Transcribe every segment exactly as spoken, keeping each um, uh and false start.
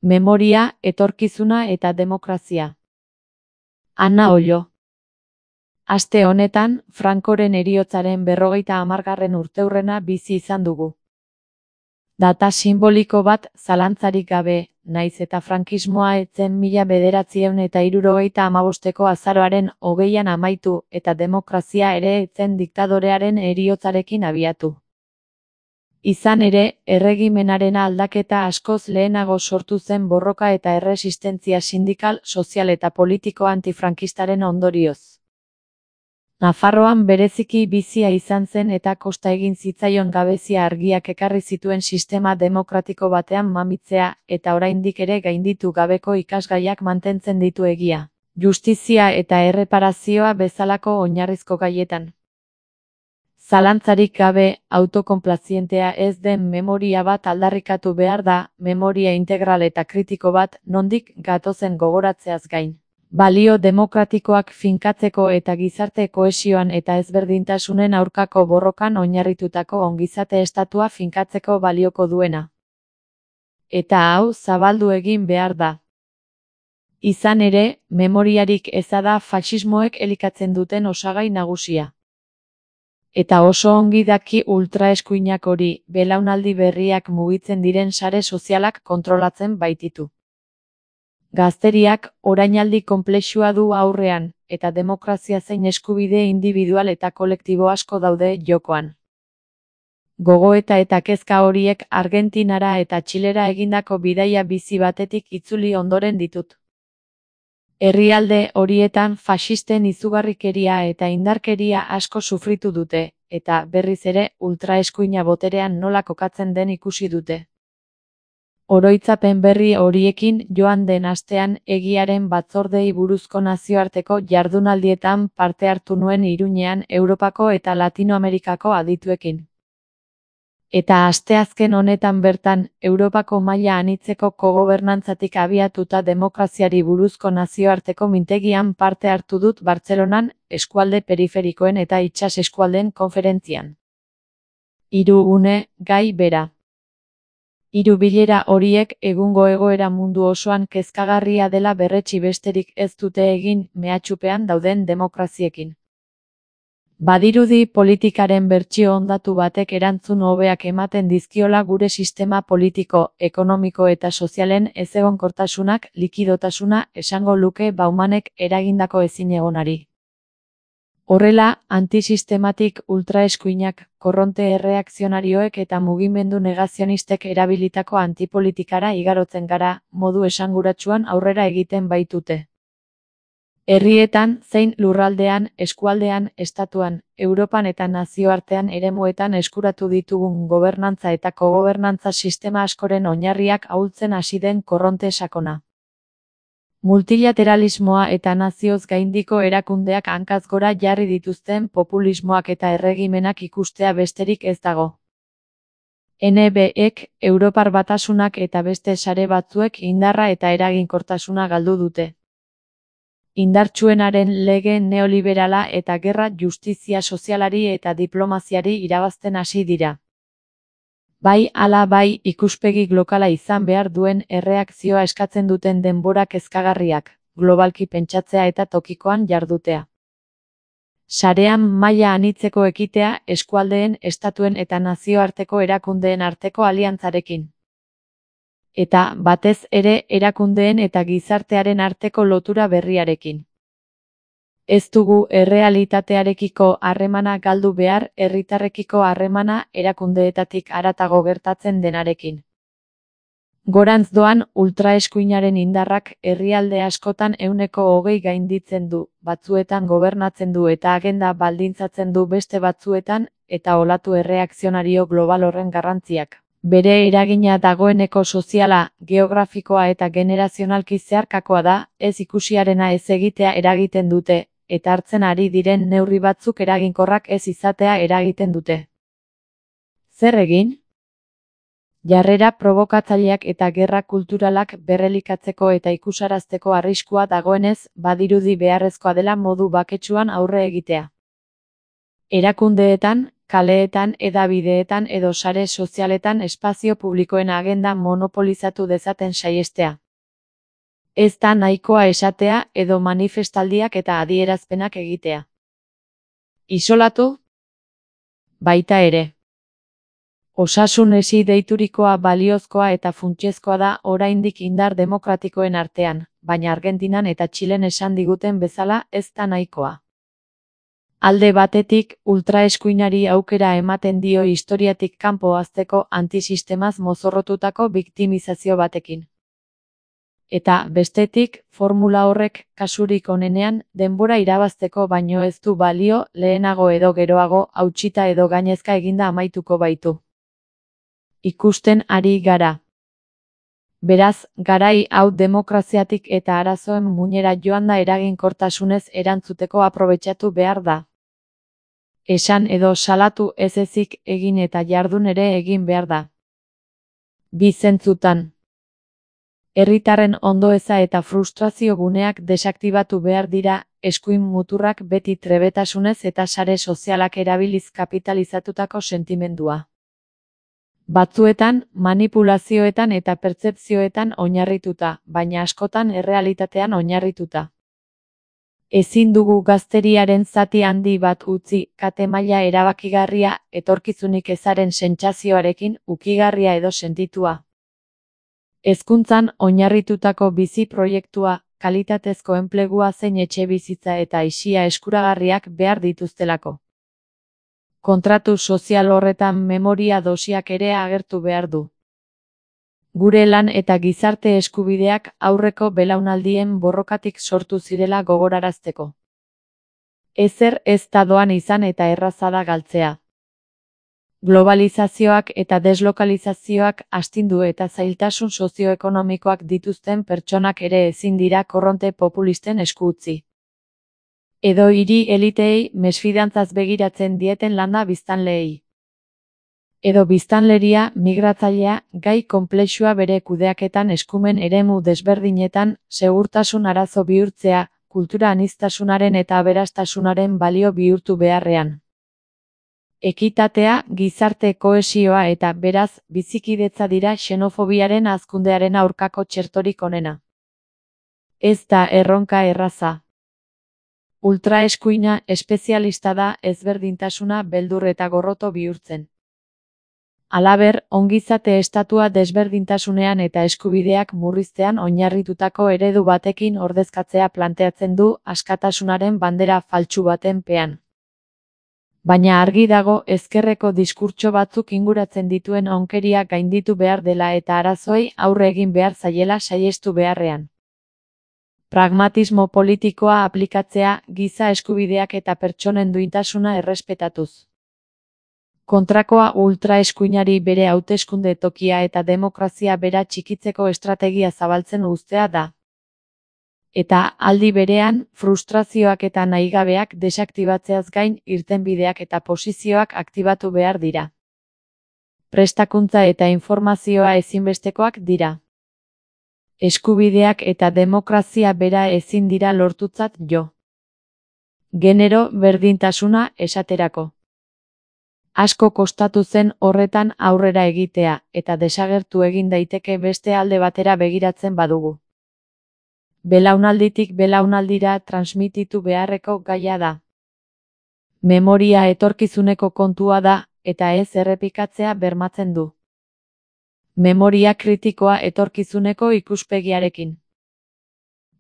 Memoria, etorkizuna eta demokrazia. Ana Ollo. Aste honetan, Francoren heriotzaren berrogeita hamargarren urteurrena bizi izan dugu. Data sinboliko bat zalantzarik gabe, naiz eta frankismoa ez zen mila bederatziehun eta hirurogeita hamabosteko azaroaren hogeian amaitu eta demokrazia ere ez zen diktadorearen heriotzarekin abiatu. Izan ere, erregimenaren aldaketa askoz lehenago sortu zen borroka eta erresistentzia sindikal, sozial eta politiko antifrankistaren ondorioz. Nafarroan bereziki bizia izan zen eta kosta egin zitzaion gabezia argiak ekarri zituen sistema demokratiko batean mamitzea eta oraindik ere gainditu gabeko ikasgaiak mantentzen ditu egia, justizia eta erreparazioa bezalako oinarrizko gaietan. Zalantzarik gabe, autokonplazientea ez den memoria bat aldarrikatu behar da, memoria integral eta kritiko bat, nondik gatozen gogoratzeaz gain. Balio demokratikoak finkatzeko eta gizarte kohesioan eta ezberdintasunen aurkako borrokan oinarritutako ongizate estatua finkatzeko balioko duena. Eta hau zabaldu egin behar da. Izan ere, memoriarik eza da faxismoek elikatzen duten osagai nagusia. Eta oso ongi daki ultraeskuinak hori, belaunaldi berriak mugitzen diren sare sozialak kontrolatzen baititu. Gazteriak orainaldi konplexua du aurrean, eta demokrazia zein eskubide indibidual eta kolektibo asko daude jokoan. Gogoeta eta kezka horiek Argentinara eta Txilera egindako bidaia bizi batetik itzuli ondoren ditut. Herrialde horietan faxisten izugarrikeria eta indarkeria asko sufritu dute, eta berriz ere ultraeskuina boterean nola kokatzen den ikusi dute. Oroitzapen berri horiekin joan den astean egiaren batzordei buruzko nazioarteko jardunaldietan parte hartu nuen Iruñean Europako eta Latinoamerikako adituekin. Eta asteazken honetan bertan, Europako maila anitzeko kogobernantzatik abiatuta demokraziari buruzko nazioarteko mintegian parte hartu dut Bartzelonan, eskualde periferikoen eta itsas eskualdeen konferentzian. Hiru une, gai bera. Hiru bilera horiek egungo egoera mundu osoan kezkagarria dela berretsi besterik ez dute egin mehatxupean dauden demokraziekin. Badirudi politikaren bertsio ondatu batek erantzun hobeak ematen dizkiola gure sistema politiko, ekonomiko eta sozialen ezegonkortasunak, likidotasuna esango luke Baumanek eragindako ezinegonari. Horrela, antisistematik ultraeskuinak, korronte erreakzionarioek eta mugimendu negazionistek erabilitako antipolitikara igarotzen gara, modu esanguratsuan aurrera egiten baitute. Herrietan, zein lurraldean, eskualdean, estatuan, Europan eta nazioartean eremuetan eskuratu ditugun gobernantza eta kogobernantza sistema askoren oinarriak ahultzen hasi den korronte sakona. Multilateralismoa eta nazioz gaindiko erakundeak hankaz gora jarri dituzten populismoak eta erregimenak ikustea besterik ez dago. N B ek, Europar Batasunak eta beste sare batzuek indarra eta eraginkortasuna galdu dute. Indartsuenaren lege neoliberala eta gerra justizia sozialari eta diplomaziari irabazten hasi dira. Bai ala bai ikuspegi globala izan behar duen erreakzioa eskatzen duten denbora kezkagarriak, globalki pentsatzea eta tokikoan jardutea. Sarean maila anitzeko ekitea eskualdeen, estatuen eta nazioarteko erakundeen arteko aliantzarekin. Eta, batez ere, erakundeen eta gizartearen arteko lotura berriarekin. Ez dugu errealitatearekiko harremana galdu behar, herritarrekiko harremana erakundeetatik haratago gertatzen denarekin. Gorantz doan ultraeskuinaren indarrak herrialde askotan ehuneko hogei gainditzen du, batzuetan gobernatzen du eta agenda baldintzatzen du beste batzuetan, eta olatu erreakzionario global horren garrantziak. Bere eragina dagoeneko soziala, geografikoa eta generazionalki zeharkakoa da, ez ikusiarena ez egitea eragiten dute, eta hartzen ari diren neurri batzuk eraginkorrak ez izatea eragiten dute. Zer egin? Jarrera probokatzaileak eta gerra kulturalak berrelikatzeko eta ikusarazteko arriskua dagoenez, badirudi beharrezkoa dela modu baketsuan aurre egitea. Erakundeetan, kaleetan, hedabideetan edo sare sozialetan espazio publikoen agenda monopolizatu dezaten saihestea. Ez da nahikoa esatea edo manifestaldiak eta adierazpenak egitea. Isolatu? Baita ere. Osasun hesi deiturikoa baliozkoa eta funtsezkoa da oraindik indar demokratikoen artean, baina Argentinan eta Txilen esan diguten bezala ez da nahikoa. Alde batetik, ultraeskuinari aukera ematen dio historiatik kanpo hazteko antisistemaz mozorrotutako biktimizazio batekin. Eta, bestetik, formula horrek, kasurik onenean, denbora irabazteko baino ez du balio, lehenago edo geroago, hautsita edo gainezka eginda amaituko baitu. Ikusten ari gara. Beraz, garai hau demokraziatik eta arazoen muinera joanda eraginkortasunez erantzuteko aprobetxatu behar da. Esan edo salatu ez ezik egin eta jardun ere egin behar da. Bi zentzutan. Herritarren ondoeza eta frustrazio guneak desaktibatu behar dira, eskuin muturrak beti trebetasunez eta sare sozialak erabiliz kapitalizatutako sentimendua. Batzuetan, manipulazioetan eta pertzepzioetan oinarrituta, baina askotan errealitatean oinarrituta. Ezin dugu gazteriaren zati handi bat utzi, kate maila erabakigarria, etorkizunik ezaren sentsazioarekin, ukigarria edo sentitua. Hezkuntzan oinarritutako bizi proiektua, kalitatezko enplegua zein etxebizitza eta aisia eskuragarriak behar dituztelako. Kontratu sozial horretan memoria dosiak ere agertu behar du. Gure lan eta gizarte eskubideak aurreko belaunaldien borrokatik sortu zirela gogorarazteko. Ezer ez da doan izan eta erraza da galtzea. Globalizazioak eta deslokalizazioak astindu eta zailtasun sozioekonomikoak dituzten pertsonak ere ezin dira korronte populisten esku utzi. Edo hiri eliteei mesfidantzaz begiratzen dieten landa biztanleei. Edo biztanleria migratzailea gai konplexua bere kudeaketan eskumen eremu desberdinetan segurtasun arazo bihurtzea, kultura aniztasunaren eta aberastasunaren balio bihurtu beharrean. Ekitatea, gizarte kohesioa eta, beraz, bizikidetza dira xenofobiaren hazkundearen aurkako txertorik onena. Ez da erronka erraza. Ultraeskuina espezialista da ezberdintasuna beldur eta gorroto bihurtzen. Halaber, ongizate estatua desberdintasunean eta eskubideak murriztean oinarritutako eredu batekin ordezkatzea planteatzen du askatasunaren bandera faltsu baten pean. Baina argi dago ezkerreko diskurtso batzuk inguratzen dituen onkeria gainditu behar dela eta arazoei aurre egin behar zaiela saihestu beharrean. Pragmatismo politikoa aplikatzea, giza eskubideak eta pertsonen duintasuna errespetatuz. Kontrakoa ultraeskuinari bere hauteskunde tokia eta demokrazia bera txikitzeko estrategia zabaltzen uztea da. Eta, aldi berean, frustrazioak eta nahigabeak desaktibatzeaz gain irtenbideak eta posizioak aktibatu behar dira. Prestakuntza eta informazioa ezinbestekoak dira. Eskubideak eta demokrazia bera ezin dira lortutzat jo. Genero berdintasuna esaterako. Asko kostatu zen horretan aurrera egitea, eta desagertu egin daiteke beste alde batera begiratzen badugu. Belaunalditik belaunaldira transmititu beharreko gaia da. Memoria etorkizuneko kontua da, eta ez errepikatzea bermatzen du. Memoria kritikoa etorkizuneko ikuspegiarekin.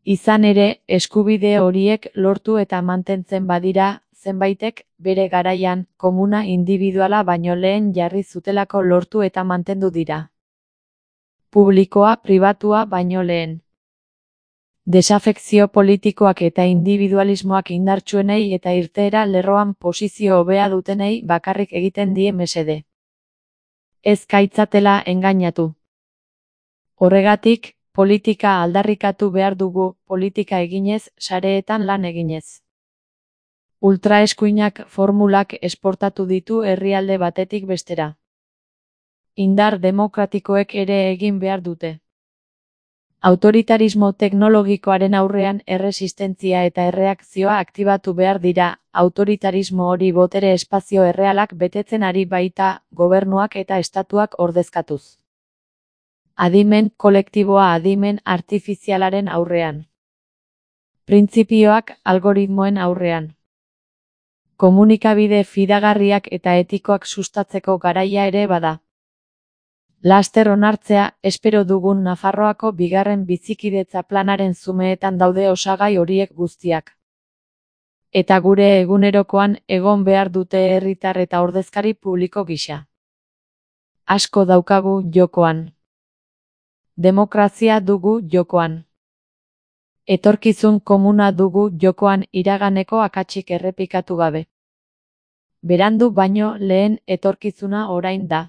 Izan ere, eskubide horiek lortu eta mantentzen badira, zenbaitek, bere garaian, komuna indibiduala baino lehen jarri zutelako lortu eta mantendu dira. Publikoa pribatua baino lehen. Desafekzio politikoak eta individualismoak indartsuenei eta irteera lerroan posizio hobea dutenei bakarrik egiten die mesede. Ez gaitzatela engainatu. Horregatik, politika aldarrikatu behar dugu, politika eginez, sareetan lan eginez. Ultraeskuinak formulak esportatu ditu herrialde batetik bestera. Indar demokratikoek ere egin behar dute. Autoritarismo teknologikoaren aurrean erresistentzia eta erreakzioa aktibatu behar dira, autoritarismo hori botere espazio errealak betetzen ari baita, gobernuak eta estatuak ordezkatuz. Adimen kolektiboa adimen artifizialaren aurrean. Printzipioak algoritmoen aurrean. Komunikabide fidagarriak eta etikoak sustatzeko garaia ere bada. Laster onartzea, espero dugun Nafarroako bigarren bizikidetza planaren zumeetan daude osagai horiek guztiak. Eta gure egunerokoan egon behar dute herritar eta ordezkari publiko gisa. Asko daukagu jokoan. Demokrazia dugu jokoan. Etorkizun komuna dugu jokoan iraganeko akatsik errepikatu gabe. Berandu baino lehen etorkizuna orain da.